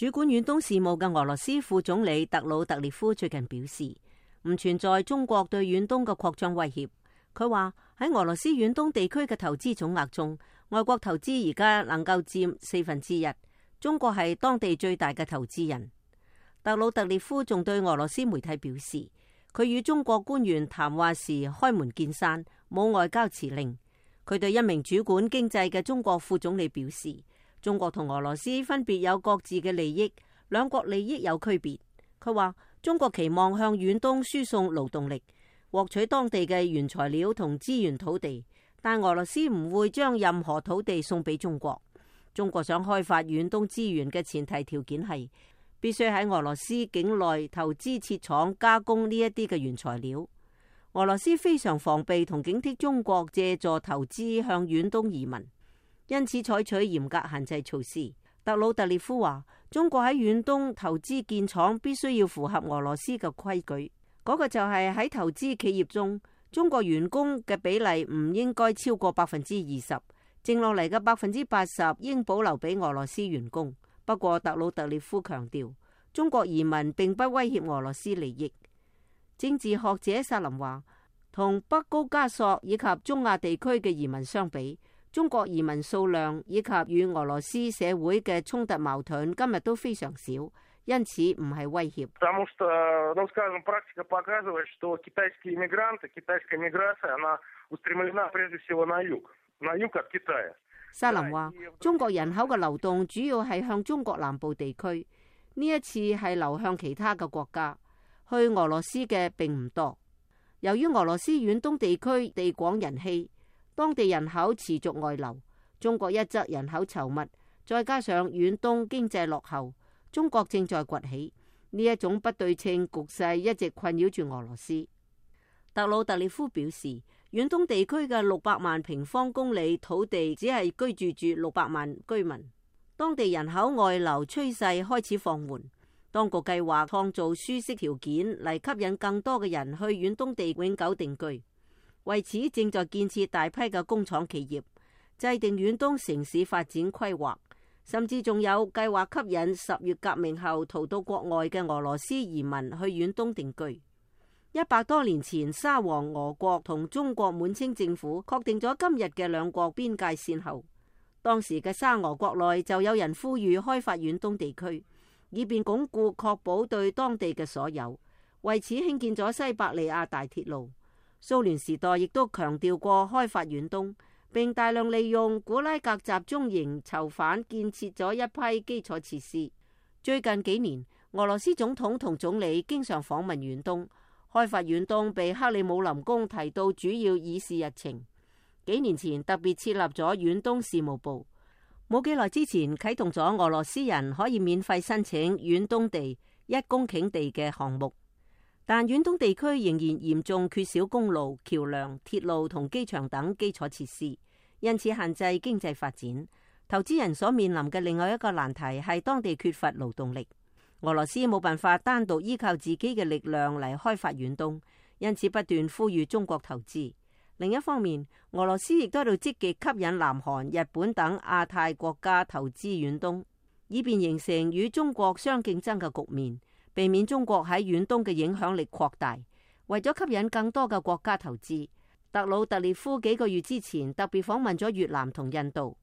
主管遠東事務嘅俄羅斯副總理特魯特列夫最近表示，唔存在中國對遠東嘅擴張威脅。佢話喺俄羅斯遠東地區嘅投資總額中，外國投資而家能夠佔1/4，中國係當地最大嘅投資人。特魯特列夫仲對俄羅斯媒體表示，佢與中國官員談話時開門見山，冇外交辭令。佢對一名主管經濟嘅中國副總理表示，中國同俄羅斯分別有各自嘅利益，兩國利益有區別。佢話中國期望向遠東輸送勞動力，獲取當地嘅原材料同資源土地，但俄羅斯唔會將任何土地送俾中國。中國想開發遠東資源嘅前提條件係必須喺俄羅斯境內投資設廠加工呢一啲嘅原材料。俄羅斯非常防備同警惕中國借助投資向遠東移民，因此採取嚴格限制措施。特魯特列夫話，中國喺遠東投資建廠必須要符合俄羅斯嘅規矩，嗰個就係喺投資企業中，中國員工嘅比例唔應該超過20%，剩落嚟嘅80%應保留俾俄羅斯員工。不過特魯特列夫強調，中國移民並不威脅俄羅斯利益。政治學者薩林話，同北高加索以及中亞地區嘅移民相比，中國移民數量以及與俄羅斯社會嘅衝突矛盾今日都非常少，因此唔係威脅。薩林話，中國人口嘅流動主要係向中國南部地區，呢一次係流向其他嘅國家，去俄羅斯嘅並唔多。由於俄羅斯遠東地區地廣人稀，當地人口持續外流，中國一則人口稠密，再加上遠東經濟落後，中國正在崛起，呢一種不對稱局勢一直困擾住俄羅斯。特魯特列夫表示，遠東地區嘅600萬平方公里土地只係居住住600萬居民，當地人口外流趨勢開始放緩。當局計劃創造舒適條件嚟吸引更多嘅人去遠東地永久定居，為此正在建設大批嘅工廠企業，制定遠東城市發展規劃，甚至仲有計劃吸引10月革命後逃到國外嘅俄羅斯移民去遠東定居。100多年前，沙皇俄國同中國滿清政府確定咗今日嘅兩國邊界線後，當時嘅沙俄國內就有人呼籲開發遠東地區，以便鞏固確保對當地嘅所有，為此興建咗西伯利亞大鐵路。蘇聯時代亦都強調過開發遠東，並大量利用古拉格集中營囚犯建設咗一批基礎設施。最近幾年，俄羅斯總統同總理經常訪問遠東，開發遠東被克里姆林宮提到主要議事日程。幾年前特別設立咗遠東事務部，冇幾耐之前啟動咗俄羅斯人可以免費申請遠東地1公頃地嘅項目。但遠東地區仍然嚴重缺少公路、橋梁、鐵路同機場等基礎設施，因此限制經濟發展。投資人所面臨嘅另外一個難題係當地缺乏勞動力。俄羅斯冇辦法單獨依靠自己嘅力量嚟開發遠東，因此不斷呼籲中國投資。另一方面，俄羅斯亦都喺度積極吸引南韓、日本等亞太國家投資遠東，以便形成與中國相競爭嘅局面，避免中國喺遠東嘅影響力擴大。為咗吸引更多嘅國家投資，特魯特列夫幾個月之前特別訪問咗越南同印度。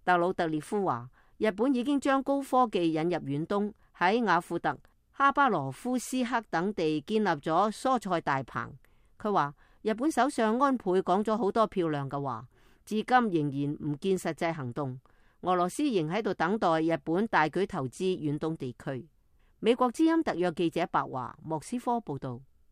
特魯特列夫話，日本已經將高科技引入遠東，喺雅庫特、哈巴羅夫斯克等地建立咗蔬菜大棚。佢話日本首相安倍講咗好多漂亮嘅話，至今仍然唔見實際行動。俄羅斯仍喺度等待日本大舉投資遠東地區。美國之音特約記者白華莫斯科報道。